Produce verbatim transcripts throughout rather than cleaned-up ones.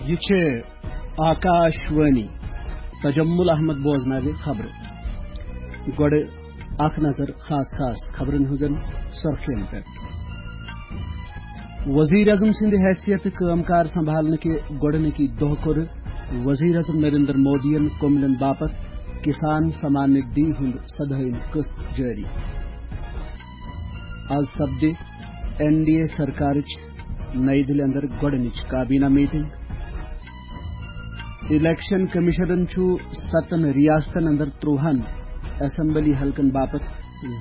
یہِ چھِ آکاش وانی۔ تجمل احمد بوزناوِ خبرٕ۔ گۄڈٕ اکھ نظر خاص خاص خبرن ہٕنٛزن سرخین پٮ۪ٹھ۔ وزیر اعظم سٕنٛدِ حیثیتہٕ کٲم کار سنبھالنہٕ کہِ گۄڈٕنِکی دۄہ کوٚر وزیر اعظم نریندر مودیَن کوٚملٮ۪ن باپتھ کسان سمان ندھی ہُنٛد سدہٲیِم قسط جٲری۔ از سپدِ این ڈی اے سرکارٕچ نئی دِلہِ اندر گۄڈٕنِچ کابینہ میٹنگ۔ الیکشن کمیشنن چھُ ستن ریاستن اندر ترٛوہن اسمبلی حلقن باپتھ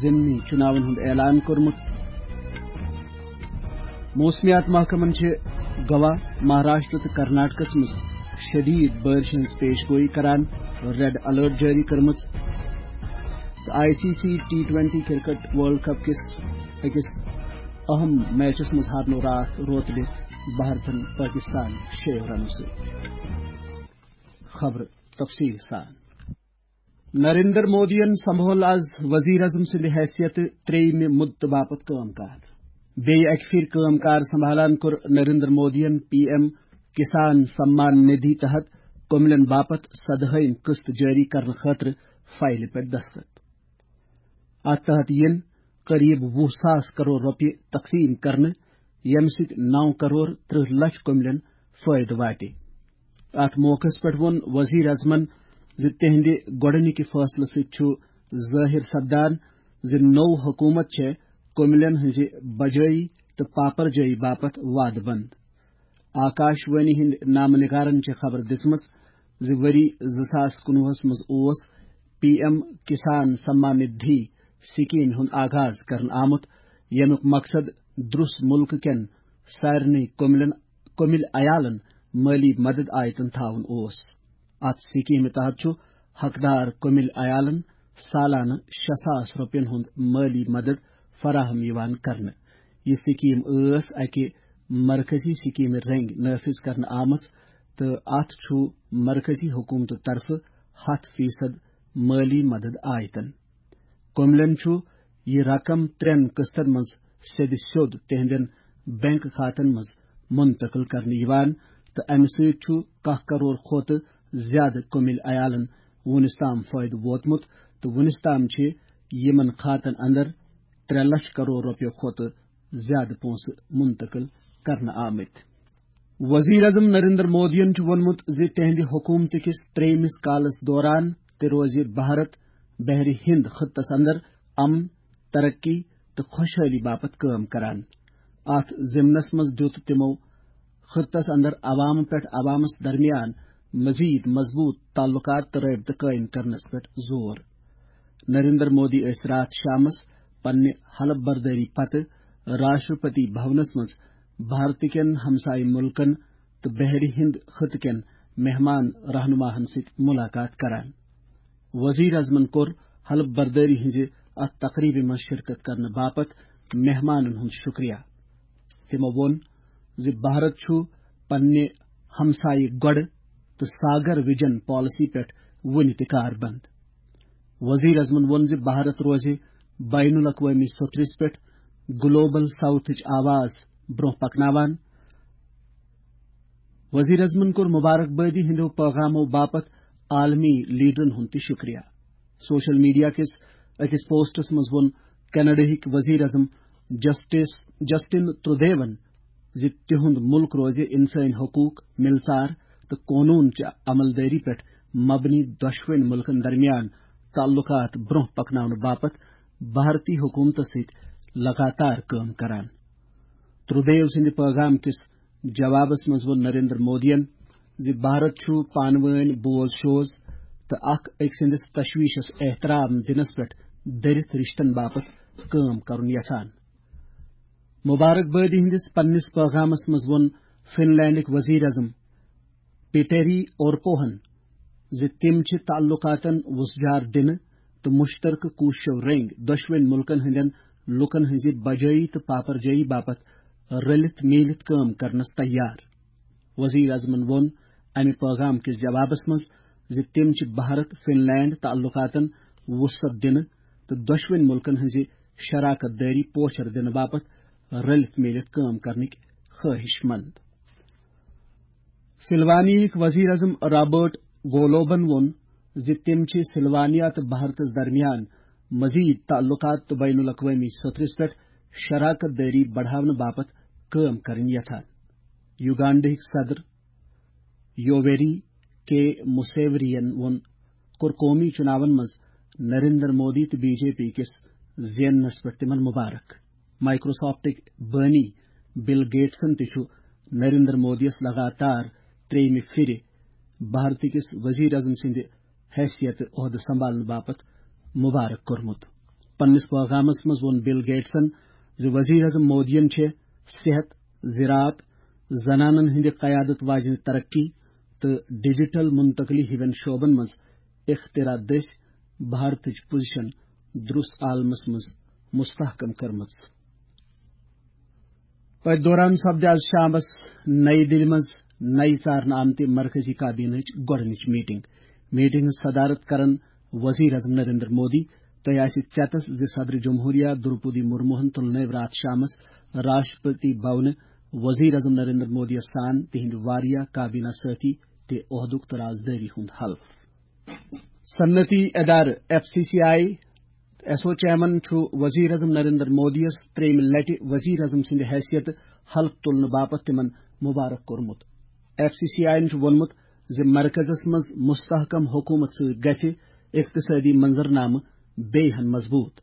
ضمنی چُناون ہُنٛد اعلان کوٚرمُت۔ موسمیات محکمن چھِ گوا، مہاراشٹر تہٕ کرناٹکس منٛز شدید بارشہِ ہٕنٛز پیش گویی کران ریڈ الرٹ جٲری کٔرمٕژ۔ تہٕ I C C T twenty cricket world cup کِس أکِس اہم میچس منٛز ہارنوو راتھ روتلہِ بھارتن پٲکستان شیٚیو رنو سۭتۍ۔ خبرٕ تفصیٖل سان۔ نریندر مودیَن سنبھول از وزیر اعظم سٕنٛدِ حیثیتہٕ ترٛیٚیِمہِ مدتہٕ باپتھ کٲم کار۔ بیٚیہِ اکہِ پھِرِ کٲم کار سنبھالان کوٚر نریندر مودیَن پی ایم کسان سمان ندھی تحت کوٚملٮ۪ن باپتھ سدہٲیِم قسط جٲری کرنہٕ خٲطرٕ فایلہِ پٮ۪ٹھ دستخط۔ اتھ تحت یِن قریب وُہ ساس کرور رۄپیہِ تقسیٖم کرنہٕ، ییٚمہِ سۭتۍ نو کرور ترٕٛہ لچھ کوٚملٮ۪ن فٲیدٕ واتہِ۔ اتھ موقعس پٮ۪ٹھ ووٚن وزیر اعظمن زِ تِہنٛدِ گۄڈٕنِکہِ فٲصلہٕ سۭتۍ چھُ ظٲہِر سپدان زِ نٔو حکوٗمت چھےٚ کوٚملٮ۪ن ہٕنٛزِ بجٲیی تہٕ پاپرجٲیی باپتھ وعدٕ بنٛد۔ آکاش وانی ہٕنٛدۍ نامہٕ نگارن چھےٚ خبر دِژمٕژ زِ ؤری زٕ ساس کُنوُہس منٛز اوس پی ایم کسان سمان ندھی سکیمہِ ہُنٛد آغاز کرنہٕ آمُت، ییٚمیُک مقصد درُس مُلکہٕ کٮ۪ن سارنٕے کوٚملٮ۪ن، کوٚمِلۍ عیالن مٲلی مدد آیتن تھاوُن اوس۔ اتھ سکیمہِ تحت چھُ حقدار کوٚمِلۍ عیالن سالانہٕ شےٚ ساس رۄپین ہُنٛد مٲلی مدد فراہم یِوان کرنہٕ۔ یہِ سکیٖم ٲس اکہِ مرکزی سکیمہِ رٔنگۍ نافذ کرنہٕ آمٕژ تہٕ اتھ چھُ مرکزی حکومتہٕ طرفہٕ ہتھ فیصد مٲلی مدد آیتن۔ کوٚملٮ۪ن چھُ یہِ رقم ترٛٮ۪ن قسطن منٛز سیٚدِ سیوٚد تِہنٛدٮ۪ن بینک کھاتن منٛز منتقل کرنہٕ یِوان تہٕ امہِ سۭتۍ چھُ کاہ کرور کھۄتہٕ زیادٕ کوٚمِلۍ عیالن وُنِس تام فٲیدٕ ووتمُت تہٕ وُنِس تام چھِ یِمن کھاتن اندر ترٛےٚ لچھ کرور رۄپیہِ کھۄتہٕ زیادٕ پونٛسہٕ منتقل کرنہٕ آمٕتۍ۔ وزیر اعظم نریندر مودیَن چھُ ووٚنمُت زِ تِہنٛدِ حکوٗمتہٕ کِس ترٛیٚیِمِس کالس دوران تہِ روزِ بھارت بحرِ ہند خطس اندر امن، ترقی تہٕ خۄشحٲلی باپتھ کٲم کران۔ اتھ ضمنس منٛز دِیُت تِمو خطس اندر عوام پٮ۪ٹھ عوامس درمیان مزید مضبوط تعلقات تہٕ رٲبطہٕ قٲیِم کرنس پٮ۪ٹھ زور۔ نریندر مودی ٲسۍ راتھ شامس پننہِ حلف بردٲری پتہٕ راشٹرپتی بھونس منٛز بھارتہٕ کٮ۪ن ہمسایہِ مُلکن تہٕ بحرِ ہند خطہٕ کٮ۪ن مہمان رہنماہن سۭتۍ ملاقات کران۔ وزیر اعظمن کوٚر حلف بردٲری ہٕنٛزِ اتھ تقریبہِ منٛز شرکت کرنہٕ باپتھ مہمانن ہُنٛد شکریہ۔ تِمو ووٚن زِ بھارت چھُ پننہِ ہمسایہِ گۄڈٕ تہٕ ساگر وِجن پالیسی پٮ۪ٹھ وُنہِ تہِ کاربند۔ وزیر اعظمن ووٚن زِ بھارت روزِ بین الاقوٲمی سوٚتھرِس پٮ۪ٹھ گلوبل ساؤتھٕچ آواز برونٛہہ پکناوان۔ وزیر اعظمن کوٚر مبارکبٲدی ہٕنٛدیو پیغامو باپتھ عالمی لیڈرن ہُنٛد تہِ شکریہ۔ سوشل میڈیا کِس أکِس پوسٹس منٛز ووٚن کینیڈاہٕکۍ وزیر اعظم جسٹس، جسٹن ترودیون زِ تِہُنٛد مُلک روزِ انسٲنی حقوق، مِلژار تہٕ قونوٗن چہِ عملدٲری پٮ۪ٹھ مبنی دۄشوٕنی مُلکن درمیان تعلقات برونٛہہ پکناونہٕ باپتھ بھارتی حکومتس سۭتۍ لگاتار کٲم کران۔ ترودیو سٕنٛدِ پٲغام کِس جوابس منٛز ووٚن نریندر مودیَن زِ بھارت چھُ پانہٕ وٲنۍ بوز شوز تہٕ اکھ أکۍ سٕنٛدِس تشویشس احترام دِنس پٮ۪ٹھ دٔرِتھ رشتن باپتھ کٲم کرُن یژھان۔ مبارکبٲدی ہٕنٛدِس پننِس پیغامس منٛز ووٚن فن لینڈٕکۍ وزیر اعظم پیٹری اورپوہن زِ تِم چھِ تعلقاتن وُژھ جار دِنہٕ تہٕ مشترکہٕ کوٗششو رٔنگۍ دۄشوٕنی مُلکن ہٕنٛدٮ۪ن لوٗکن ہٕنٛزِ بجٲیی تہٕ پاپرجٲیی باپتھ رٔلِتھ میٖلِتھ کٲم کرنس تیار۔ وزیر اعظمن ووٚن امہِ پٲغام کِس جوابس منٛز زِ تِم چھِ بھارت فن لینڈ تعلقاتن وسعت دِنہٕ تہٕ دۄشوٕنی مُلکن ہٕنٛزِ شراکت دٲری پوچھر دِنہٕ باپتھ رٔلِتھ میٖلِتھ کٲم کرنٕکۍ خٲہِش مند۔ سلوانیہٕکۍ وزیر اعظم رابرٹ گولوبن ووٚن زِ تِم چھِ سلوانیا تہٕ بھارتس درمیان مزید تعلقات تہٕ بین الاقوٲمی سطحس پٮ۪ٹھ شراکت دٲری بڑھاونہٕ باپتھ کٲم کرٕنۍ یژھان۔ یوگانڈہٕکۍ صدر یوویری کے موسیوری ین ووٚن، کوٚر قومی چُناون منٛز نریندر مودی تہٕ بی جے پی کِس زیننس پٮ۪ٹھ تِمن مبارک۔ مائیکروسافٹٕکۍ بٲنی بل گیٹسن تہِ چھُ نریندر مودیَس لگاتار ترٛیٚیِمہِ پھِرِ بھارتہٕ کِس وزیر اعظم سٕنٛدِ حیثیت عہدٕ سنبھالنہٕ باپتھ مبارک کوٚرمُت۔ پننِس پیغامس منٛز ووٚن بل گیٹسن زِ وزیر اعظم مودیَن چھِ صحت، زراعت، زنانن ہٕنٛدِ قیادت واجنہِ ترقی تہٕ ڈیجیٹل منتقلی ہِوٮ۪ن شعبن منٛز اختراع دٔسۍ بھارتٕچ پوزیشن درُس عالمس منٛز مستحکم کٔرمٕژ۔ أتھۍ دوران سپدِ آز شامس نئی دِلہِ منٛز نَیہِ ژارنہٕ آمتہِ مرکزی کابینہٕچ گۄڈٕنِچ میٹنگ۔ میٹنگ ہٕنٛز صدارت کرن وزیر اعظم نریندر مودی۔ تۄہہِ آسہِ ژیتس زِ صدر جمہوریہ درپودی مرموہن تُل نٔوۍ راتھ شامس راشٹرپتی بھونہٕ وزیر اعظم نریندر مودی یس سان تِہنٛدۍ واریاہ کابینہ سٲتھی تہِ عہدُک تہٕ رازدٲری ہُنٛد حلف۔ صنعتی ادارٕ F C C I S O chairman چھُ وزیر اعظم نریندر مودی یس ترٛیٚیِمہِ لٹہِ وزیر اعظم سٕنٛدِ حیثیت حلف تُلنہٕ باپتھ تِمن مبارک کوٚرمُت۔ ایف سی سی آئی ین چھُ ووٚنمُت زِ مرکزس منٛز مستحکم حکومت سۭتۍ گژھِ اقتصٲدی منظرنامہٕ بیٚیہِ ہن مضبوط۔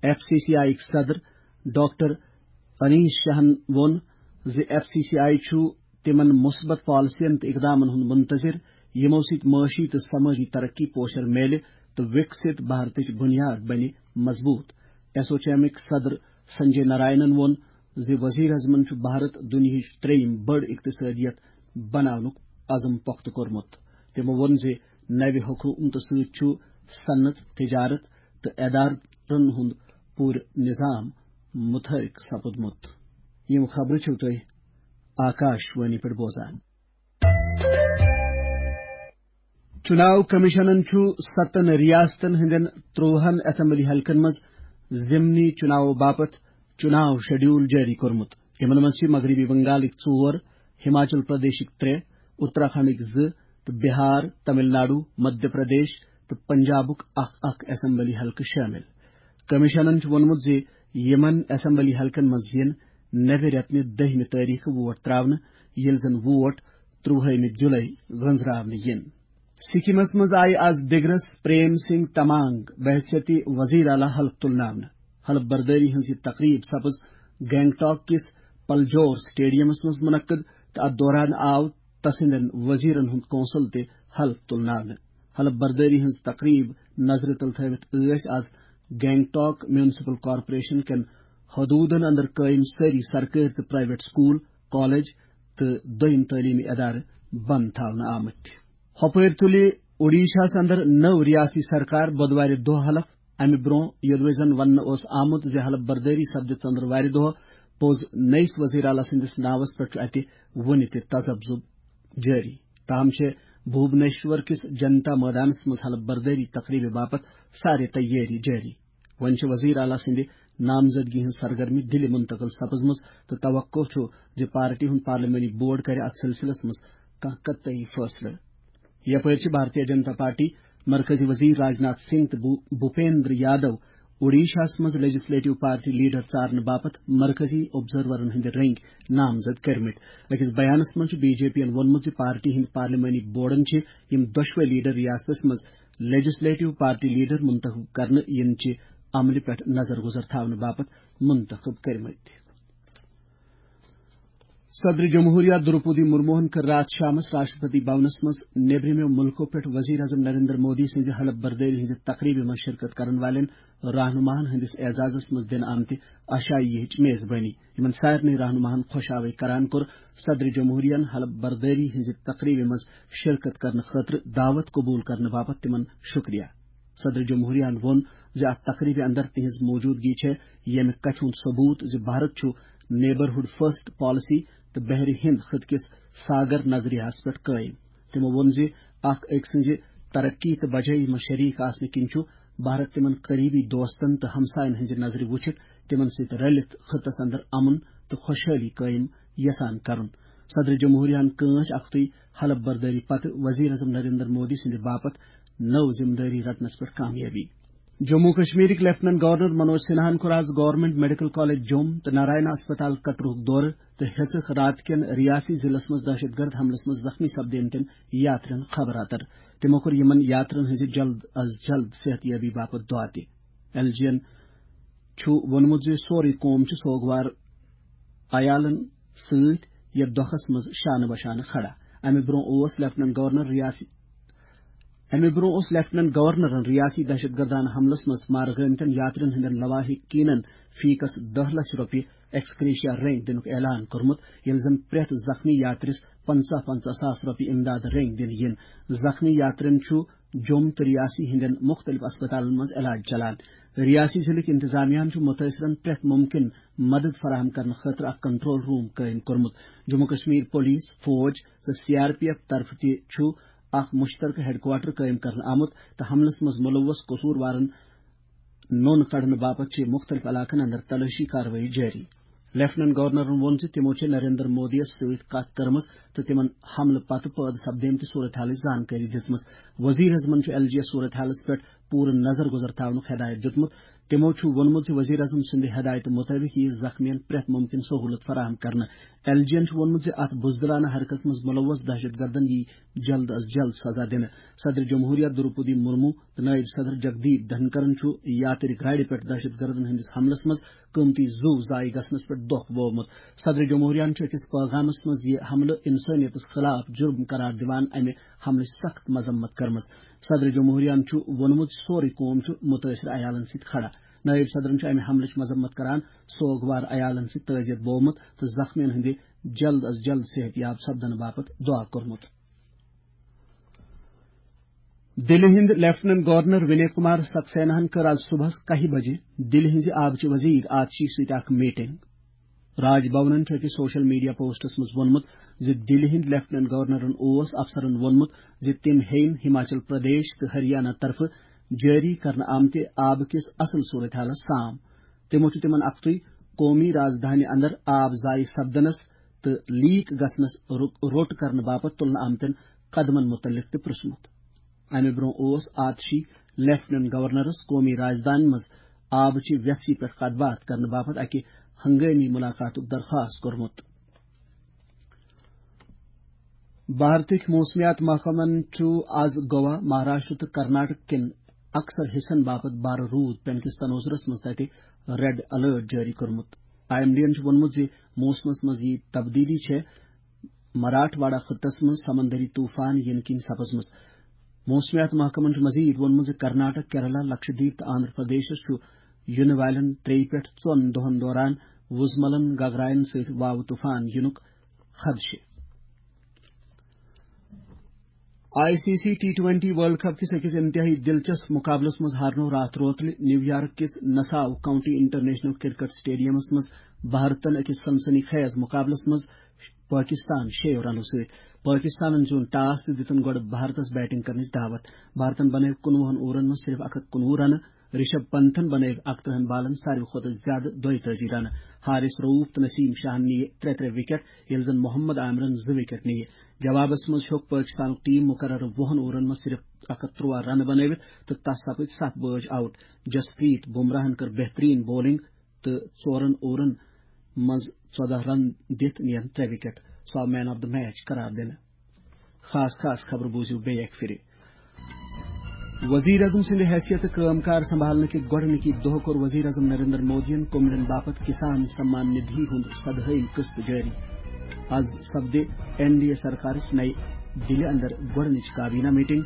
ایف سی سی آئی یٕکۍ صدر ڈاکٹر انیش شاہن ووٚن زِ ایف سی سی آئی چھُ تِمن مثبت پالیسین تہٕ اقدامن ہُنٛد منتظر، یِمو سۭتۍ معاشی تہٕ سمٲجی ترقی پوشر میلہِ تہٕ وِکسِت بھارتٕچ بُنیاد بنہِ مضبوط۔ ایسوچیمٕکۍ صدر سنجے نارائنن ووٚن زِ وزیر اعظمن چھُ بھارت دُنیاہٕچ ترٛیٚیِم بٔڑ اقتصٲدیت بناونُک عزم پۄختہٕ کوٚرمُت۔ تِمو ووٚن زِ نوِ حکومتہٕ سۭتۍ چھُ صنعت، تجارت تہٕ ادارن ہُنٛد پوٗرٕ نظام متحرک سپُدمُت۔ یِم خبرٕ چھِو تُہۍ آکاش وانی پٮ۪ٹھ بوزان۔ چُناو کمیشنن چھُ ستن ریاستن ہٕنٛدٮ۪ن ترٛوہن اسمبلی حلقن منٛز ضمنی چُناو باپتھ چُناو شیڈول جٲری کوٚرمُت۔ یِمن منٛز چھِ مغربی بنگالٕکۍ ژور، ہماچل پردیشٕکۍ ترٛےٚ، اتراکھنڈٕکۍ زٕ تہٕ بہار، تمل ناڈو، مدھیہ پردیش تہٕ پنجابُک اکھ اکھ اسمبلی حلقہٕ شٲمِل۔ کمیشنن چھُ ووٚنمُت زِ یِمن اسمبلی حلقن منٛز یِن نوِ رٮ۪تہٕ نہِ دٔہمہِ تٲریخہٕ ووٹ تراونہٕ، ییٚلہِ زن ووٹ ترٛوہٲیمہِ جُلے گٔنزراونہٕ یِن۔ سکمس منٛز آیہِ آز دِگرس پریم سنگھ تمانگ بحیثیت وزیر اعلیٰ حلف تُلناونہٕ۔ حلف بردٲری ہٕنٛز یہِ تقریب سپٕز گینگٹاک کِس پلجور سٹیڈیمس منٛز منعقد تہٕ اتھ دوران آو تسٕنٛدٮ۪ن وزیرن ہُنٛد کونسل تہِ حلف تُلناونہٕ۔ حلف بردٲری ہٕنٛز تقریب نظرِ تل تھٲوِتھ ٲسۍ آز گینگٹاک میونسپل کارپوریشن کٮ۪ن حدوٗدن اندر قٲیِم سٲری سرکٲرۍ تہٕ پرائیویٹ سکول، کالج تہٕ دوٚیِم تعلیمی ادارٕ بند تھاونہٕ آمٕتۍ۔ ہۄپٲرۍ تُلہِ اوڈیشاہس اندر نٔو ریاستی سرکار بۄدوارِ دۄہ حلف۔ امہِ برونٛہہ یوٚدوَے زن وننہٕ اوس آمُت زِ حلف بردٲری سپدِ ژٔنٛدٕروارِ دۄہ پوٚز نٔیِس وزیر اعلیٰ سٕنٛدِس ناوس پٮ۪ٹھ چھُ اتہِ وُنہِ تہِ تذبذب جٲری۔ تاہم چھےٚ بھوبنیشور کِس جنتا مٲدانس منٛز حلف بردٲری تقریبہِ باپتھ سارے تیٲری جٲری۔ وۄنۍ چھِ وزیر اعلیٰ سٕنٛدِ نامزدگی ہٕنٛز سرگرمی دِلہِ منتقل سپٕزمٕژ تہٕ توقع چھُ زِ پارٹی ہُنٛد پارلیمانی بورڈ کرِ اتھ سلسلس منٛز کانٛہہ قطعی فٲصلہٕ۔ یپٲرۍ چھِ بھارتیہ جنتا پارٹی مرکزی وزیر راجناتھ سنگھ تہٕ بھو-، بھوپیندر یادو اوڈیشاہس منٛز لیجسلیٹو پارٹی لیڈر ژارنہٕ باپتھ مرکزی آبزرورن ہٕنٛدۍ رٔنگۍ نامزد کٔرمٕتۍ۔ أکِس بیانس منٛز چھُ بی جے پی ین ووٚنمُت زِ پارٹی ہٕنٛدۍ پارلیمانی بورڈن چھِ یِم دۄشوے لیڈر ریاستس منٛز لیجسلیٹو پارٹی لیڈر منتخب کرنہٕ یِنہٕ چہِ عملہِ پٮ۪ٹھ نظر گزر تھاونہٕ باپتھ منتخب کٔرمٕتۍ۔ صدر جمہوریہ درپودی مرموہن کٔر راتھ شامس راشٹرپتی بھونس منٛز نیبرِمیو مُلکو پٮ۪ٹھ وزیر اعظم نریندر مودی سٕنٛزِ حلف بردٲری ہٕنٛزِ تقریبہِ منٛز شرکت کرن والٮ۪ن رہنماہن ہٕنٛدِس اعزازس منٛز دِنہٕ آمتہِ عشائیہٕچ میزبٲنی۔ یِمن سارنٕے رہنماہن خۄش آوے کران کوٚر صدر جمہوریہن حلف بردٲری ہٕنٛزِ تقریبہِ منٛز شرکت کرنہٕ خٲطرٕ دعوت قبول کرنہٕ باپتھ تِمن شکریہ۔ صدر جمہوریہن ووٚن زِ اتھ تقریبہِ اندر تِہنٛز موجودگی چھےٚ ییٚمہِ کتھِ ہُنٛد ثبوت زِ بھارت چھُ نیبرہُڈ فرسٹ پالیسی تہٕ بحرِ ہند خطہٕ کِس ساگر نظریہس پٮ۪ٹھ قٲیِم۔ تِمو ووٚن زِ اکھ أکۍ سٕنٛزِ ترقی تہٕ بجٲیی منٛز شریک آسنہٕ کِنۍ چھُ بھارت تِمن قریبی دوستن تہٕ ہمساین ہٕنٛزِ نظرِ وُچھِتھ تِمن سۭتۍ رلِتھ خطس اندر امن تہٕ خۄشحٲلی قٲیِم یژھان کرُن۔ صدر جمہوریہ ہن کٲنٛچ اکھتُے حلف بردٲری پتہٕ وزیر اعظم نریندر مودی سٕنٛدِ باپتھ نٔو ذمہٕ دٲری رٹنس پٮ۪ٹھ کامیٲبی۔ جموں کشمیرٕکۍ لیفٹیننٹ گورنر منوج سنہاہن کوٚر آز گورنمنٹ میڈیکل کالج جوٚم تہٕ نارائنا اسپتال کٹرُک دورٕ تہٕ ہیٚژٕکھ راتہٕ کٮ۪ن ریاسی ضلعس منٛز دہشت گرد حملس منٛز زخمی سپدیمتٮ۪ن یاترین خبر اتر۔ تِمو کوٚر یِمن یاترین ہٕنٛزِ جلد از جلد صحت یابی باپتھ دعا تہِ۔ ایل جی ین چھُ ووٚنمُت زِ سورُے قوم چھُ سوگوار عیالن سۭتۍ یتھ دۄکھس منٛز شانہٕ بشانہٕ کھڑا۔ امہِ برونٛہہ اوس لیفٹیننٹ گورنر ریاسی، امہِ برونٛہہ اوس لیفٹیننٹ گورنرن ریاسی دہشت گردانہٕ حملس منٛز مارٕ گٲمتٮ۪ن یاترین ہٕنٛدٮ۪ن لواحقینن فی کس دَہ لچھ رۄپیہِ ایکسکریشیا رٔنگۍ دِنُک اعلان کوٚرمُت، ییٚلہِ زن پرٛٮ۪تھ زخمی یاترِس پنٛژاہ پنٛژاہ ساس رۄپیہِ امداد رٔنگۍ دِنہٕ یِن۔ زخمی یاترین چھُ جوٚم تہٕ ریاسی ہٕنٛدٮ۪ن مُختٔلِف اسپتالن منٛز علاج چلان۔ ریاسی ضلعٕکۍ انتظامیہ ہن چھُ مُتٲثرن پرٛٮ۪تھ مُمکِن مدد فراہم کرنہٕ خٲطرٕ اکھ کنٹرول روم قٲیِم کوٚرمُت۔ جموں کشمیر پولیس، فوج تہٕ سی آر پی ایف طرفہٕ تہِ چھُ اکھ مشترکہٕ ہیڈ کوارٹر قٲیِم کرنہٕ آمُت تہٕ حملس منٛز ملوث قصوٗروارن نوٚن کڑنہٕ باپتھ چھِ مُختٔلِف علاقن اندر تلٲشی کاروٲیی جٲری۔ لیفٹیننٹ گورنرن ووٚن زِ تِمو چھِ نریندر مودی یَس سۭتۍ کتھ کٔرمٕژ تہٕ تِمن حملہٕ پتہٕ پٲدٕ سپدیمتہِ صورتحالٕچ زانکٲری دِژمٕژ۔ وزیر اعظمن چھُ ایل جی یَس صورتحالس پٮ۪ٹھ پوٗرٕ نظر گُزر تھاونُک ہدایت دیُتمُت۔ تِمو چھُ ووٚنمُت زِ وزیر اعظم سٕنٛدِ ہدایتہٕ مُطٲبِق یِیہِ زخمیَن پرٛٮ۪تھ مُمکِن سہوٗلت فراہم کرنہٕ۔ ایل جی یَن چھُ ووٚنمُت زِ اَتھ بُزدِلانہٕ حرکژ منٛز مُلوث دہشت گردن یِیہِ جلد از جلد سزا دِنہٕ۔ صدر جمہوریہ دروپدی مرمو تہٕ نٲیِب صدر جگدیپ دھنکرن چھُ یاترِ گاڑِ پٮ۪ٹھ دہشت گردن ہٕنٛدِس حملس منٛز قۭمتی زُو ضایع گژھنس پٮ۪ٹھ دۄکھ ووٚومُت۔ صدر جمہوریہن چھُ أکِس پٲغامس منٛز یہِ حملہٕ انسٲنیتس خلاف جُرم قرار دِوان امہِ حملٕچ سخت مذمت کٔرمٕژ۔ صدر جمہوریہن چھُ ووٚنمُت، سورُے قوم چھُ مُتٲثر عیالن سۭتۍ کھڑا۔ نٲیِب صدرن چھُ امہِ حملٕچ مذمت کران سوگوار عیالن سۭتۍ تعزیت بوومُت تہٕ زخمیَن ہٕنٛدِ جلد از جلد صحت یاب سپدنہٕ باپتھ دعا کوٚرمُت۔ دِلہِ ہٕنٛدۍ لیفٹیننٹ گورنر وِنے کُمار سکسیناہن کٔر آز صُبحس کاہہِ بجہِ دِلہِ ہٕنٛزِ آبچہِ وزیر آتشی سۭتۍ اکھ میٹنگ۔ راج بھونن چھُ أکِس سوشل میڈیا پوسٹس منٛز ووٚنمُت زِ دِلہِ ہٕنٛدۍ لیفٹیننٹ گورنرن اوس افسرن ووٚنمُت زِ تِم ہیٚیِن ہماچل پردیش تہٕ ہریانہ طرفہٕ جٲری کرنہٕ آمتہِ آبہٕ کِس اصل صورتحالس سام۔ تِمو چھُ تِمن اکھتُے قومی رازدھانی اندر آب ضایع سپدنس تہٕ لیک گژھنس رو-، روٚٹ کرنہٕ باپتھ تُلنہٕ آمتٮ۪ن قدمن مُتعلق تہِ پرٛژھمُت۔ امہِ برٛونٛہہ اوس آتشی لیفٹیننٹ گورنرس قومی رازدانہِ منٛز آبہٕ چہِ ویژھِ پٮ۪ٹھ کتھ باتھ کرنہٕ باپتھ اکہِ ہنگٲمی مُلاقاتُک درخواست کوٚرمُت۔ بھارتٕکۍ موسمیات محکمن چھُ آز گوا، مہاراشٹر تہٕ کرناٹک کٮ۪ن اکثر حصن باپتھ بارٕ روٗد پینہٕ کِس تناظرس منٛز تتہِ ریڈ الرٹ جٲری کوٚرمُت۔ آئی ایم ڈی ین چھُ ووٚنمُت زِ موسمس منٛز یِیہِ تبدیلی چھےٚ مراٹھ واڑہ خطس منٛز سمندری طوفان یِنہٕ کِنۍ سپٕزمٕژ۔ موسمیات محکمن چھُ مزید ووٚنمُت زِ کرناٹک، کیرالہ، لکشدیپ تہٕ آندھرا پردیشس چھُ یِنہٕ والٮ۪ن ترٛیٚیہِ پٮ۪ٹھ ژۄن دۄہن دوران وُزملن گگراین سۭتۍ واوٕ طوفان یِنُک خدشہٕ۔ I C C T twenty world cup کِس أکِس انتہٲئی دلچسپ مقابلس منٛز ہارنوو راتھ روتلہِ نیو یارک کِس نساو کاؤنٹی انٹرنیشنل کرکٹ اسٹیڈیمس منٛز بھارتن أکِس سنسنی خیز مقابلس منٛز پٲکِستان شیٚیو رنو سۭتۍ۔ پٲکِستانن زیوٗن ٹاس تہٕ دِتُن گۄڈٕ بھارتس بیٹنگ کرنٕچ دعوت۔ بھارتن بنٲوۍ کُنوُہن اوورن منٛز صرف اکھ ہتھ کُنوُہ رنہٕ۔ رشب پنتھن بنٲوۍ اکترٕہن بالن ساروی کھۄتہٕ زیادٕ دۄیتٲجی رنہٕ۔ حارث رؤف تہٕ نسیم شاہن نِیہِ ترٛےٚ ترٛےٚ وکٹ، ییٚلہِ زن محمد عامرن زٕ وکٹ نِیہِ۔ جوابس منٛز ہیوٚک پٲکِستانُک ٹیم مقررٕ وُہن اوورن منٛز صرف اکھ ہتھ ترٛواہ رنہٕ بنٲوِتھ تہٕ تس سپٕدۍ ستھ بٲج آؤٹ۔ جسپریت بمراہن کٔر بہترین بولنگ تہٕ ژورن اوورن منٛز ژۄدہ رن دِتھ نِین ترٛےٚ وکٹ۔ سُہ آو مین آف دی میچ قرار دِنہٕ۔ خاص خاص خبرٕ بوٗزِو بیٚیہِ اکہِ پھِرِ۔ وزیر اعظم سٕنٛدِ حیثیتہٕ کٲم کار سنبھالنہٕ کہِ گۄڈٕنِکی دۄہ کوٚر وزیر اعظم نریندر مودیَن کوٚملٮ۪ن باپتھ کسان سمان ندھی ہُنٛد سدہٲیِم قسط جٲری۔ آز سپدِ این ڈی اے سرکارٕچ نَیہِ دِلہِ اندر گۄڈٕنِچ کابینہ میٹنگ۔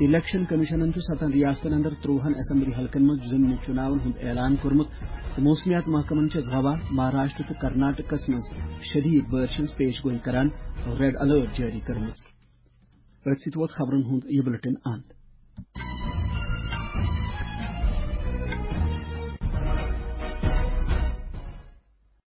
الیکشن کمیشنن چھُ ستن ریاستن اندر ترٛۆہن اسمبلی حلقن منٛز ضمنی چُناون ہُنٛد اعلان کوٚرمُت تہٕ موسمیات محکمن چھےٚ گوا، مہاراشٹر تہٕ کرناٹکس منٛز شدید بارشہِ ہٕنٛز پیش گویی کران ریڈ الرٹ جٲری کٔرمٕژ۔ أتھۍ سۭتۍ ووت خبرن ہُنٛد یہِ بلیٹن اند۔